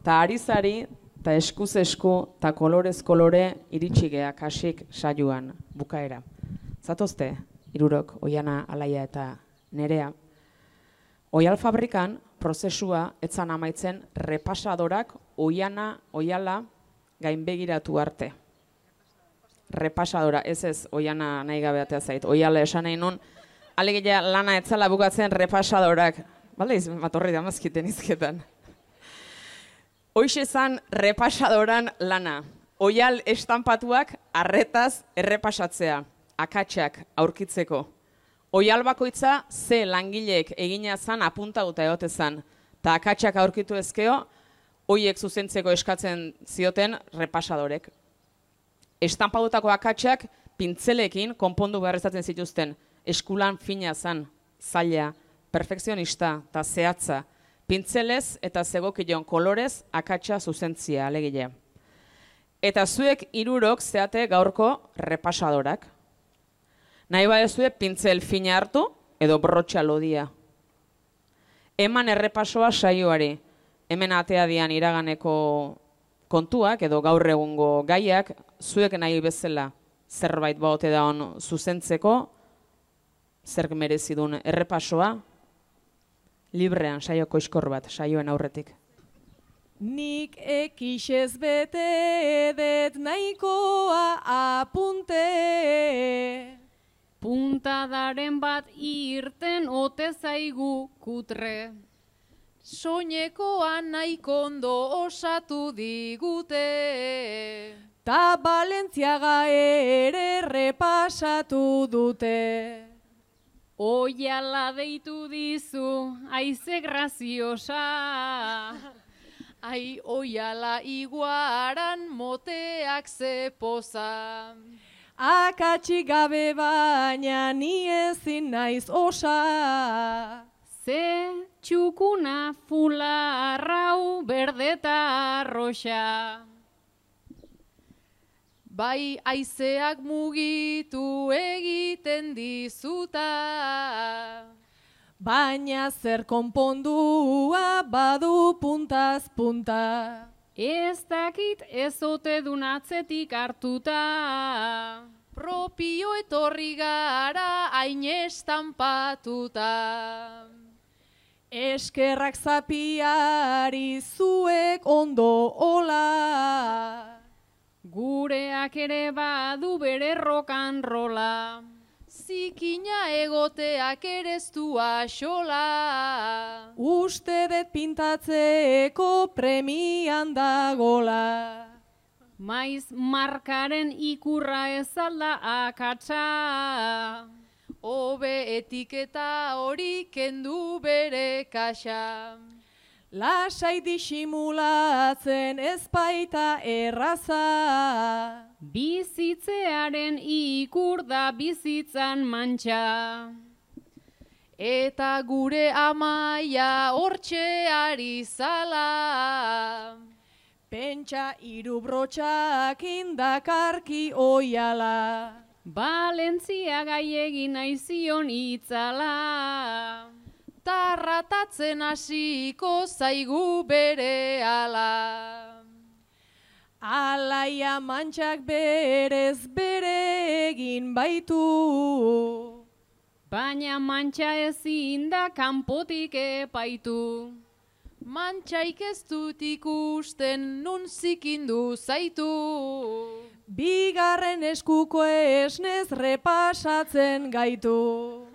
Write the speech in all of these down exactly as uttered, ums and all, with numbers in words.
Ta arizari, ta eskuz esku, ta kolorez kolore iritsi gea kasik saioan bukaera. Zatozte, hirurok, Oiana, Alaia eta Nerea. Oial fabrikan prozesua etzan amaitzen repasadorak Oiana, Oiala gainbegiratu arte. Repasadora, ez ez, Oiana nahi gabeatea zait, Oiala esan nahi nun, alegia lana etzala bukatzen repasadorak. Bale, matorri da mazkiten izketan. Hoixe zan repasadoran lana. Oial estampatuak arretaz errepasatzea, akatsak aurkitzeko. Oial bakoitza ze langileek egina zan apuntauta egote zan. Ta akatsak aurkitu ezkeo, hoiek zuzentzeko eskatzen zioten repasadorek. Estampatutako akatsak pintzelekin konpondu beharrezatzen zituzten. Eskulan fina zan, zaila, perfekzionista eta zehatza. Pintzelez eta zegokion kolorez akatsa zuzentzia alegile. Eta zuek hirurok zeate gaurko repasadorak. Nahi badezue pintzel fina hartu edo brotxa lodia. Eman errepasoa saioari. Hemen atea dian iraganeko kontuak edo gaur egungo gaiak zuek nahi bezala zerbait baote da on zuzentzeko, zerk merezidun errepasoa, librean saioko iskor bat, saioen aurretik. Nik ekixez bete edet nahikoa apunte. Puntadaren bat irten ote zaigu kutre. Soinekoan nahikondo osatu digute. Ta Balentziaga ere repasatu dute. Oiala deitu dizu, aize graziosa. Ai, Oiala iguaran moteak ze poza. Akatsik gabe baina ni ezin naiz osa. Ze txukuna fula arrau berdeta arroxa. Bai haizeak mugitu egiten dizuta. Baina zer konpondua badu puntaz punta. Ez dakit ez ote dun atzetik hartuta. Propio etorri gara hain estampatuta. Eskerrak zapiari zuek ondo ola. Gureak ere badu bere rokan rola. Zikina egoteak ereztua xola. Uste dut pintatzeko premian dagola. Maiz markaren ikurra ez alda akatsa. Hobe etiketa hori kendu bere kaxa. Lasai disimulatzen ez baita erraza. Bizitzearen ikur da bizitzan mantxa. Eta gure amaia hortxe ari zala. Pentsa hiru brotxak indakarki Oiala. Balentziaga egin aizion itzala. Tarratatzen hasiko zaigu berehala. Alaia mantxak berez bere egin baitu. Baina mantxa ezin da kanpotik epaitu. Mantxaik ez dut ikusten nun zikindu zaitu. Bigarren eskuko esnez repasatzen gaitu.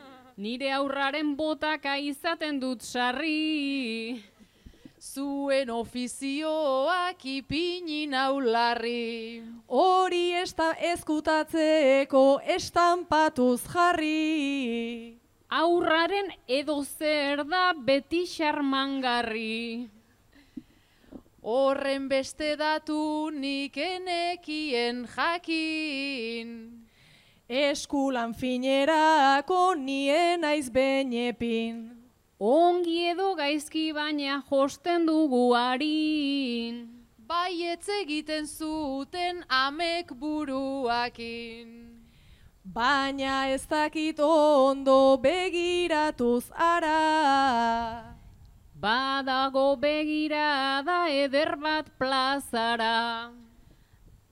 Nire aurraren botaka izaten dut sarri. Zuen ofizioak ipini naularri. Hori esta ezkutatzeko estampatuz jarri. Aurraren edo zer da beti xarmangarri. Horren beste datu nik enekien jakin. Eskulan finerako nien naiz benepin. Ongi edo gaizki baina josten dugu harin. Baietz egiten zuten amek buruakin. Baina ez dakit ondo begiratuz ara. Badago begirada eder bat plazara.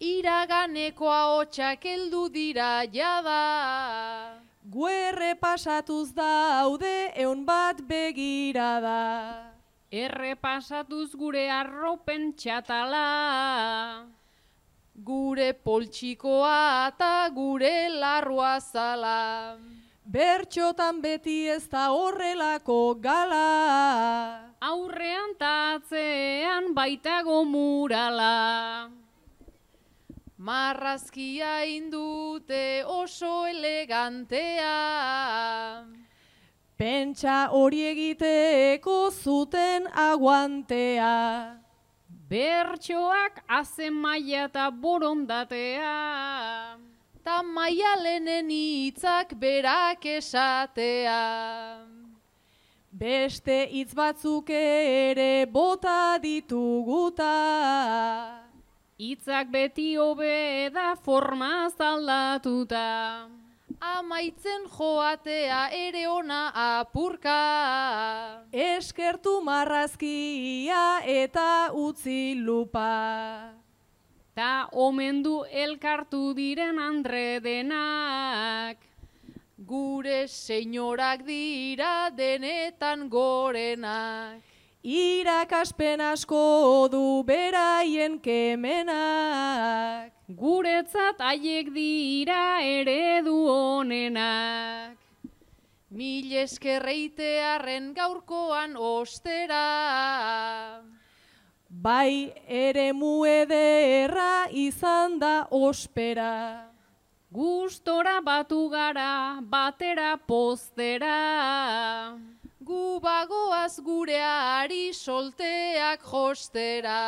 Iraganekoa hotxak heldu dira jada. Guerre pasatuz daude eun bat begirada. Errepasatuz gure arropen txatala. Gure poltsikoa eta gure larrua zala. Bertxotan beti ez da horrelako gala. Aurrean ta atzean baitago murala. Marrazkia indute oso elegantea. Pentsa hori egiteko zuten aguantea. Bertsoak azen maila eta borondatea. Ta maialenen hitzak berak esatea. Beste hitz batzuk ere bota dituguta. Hitzak beti hobe da forma aldatuta. Amaitzen joatea ere ona apurka. Eskertu marrazkia eta utzi lupa. Ta omendu elkartu diren andre denak. Gure senyorak dira denetan gorenak. Irakaspen asko du beraien kemenak. Guretzat haiek dira eredu honenak. Mil eskerreitearren gaurkoan ostera. Bai eremu ederra izan da ospera. Gustora batu gara, batera postera. Gu bagoaz gureari solteak jostera.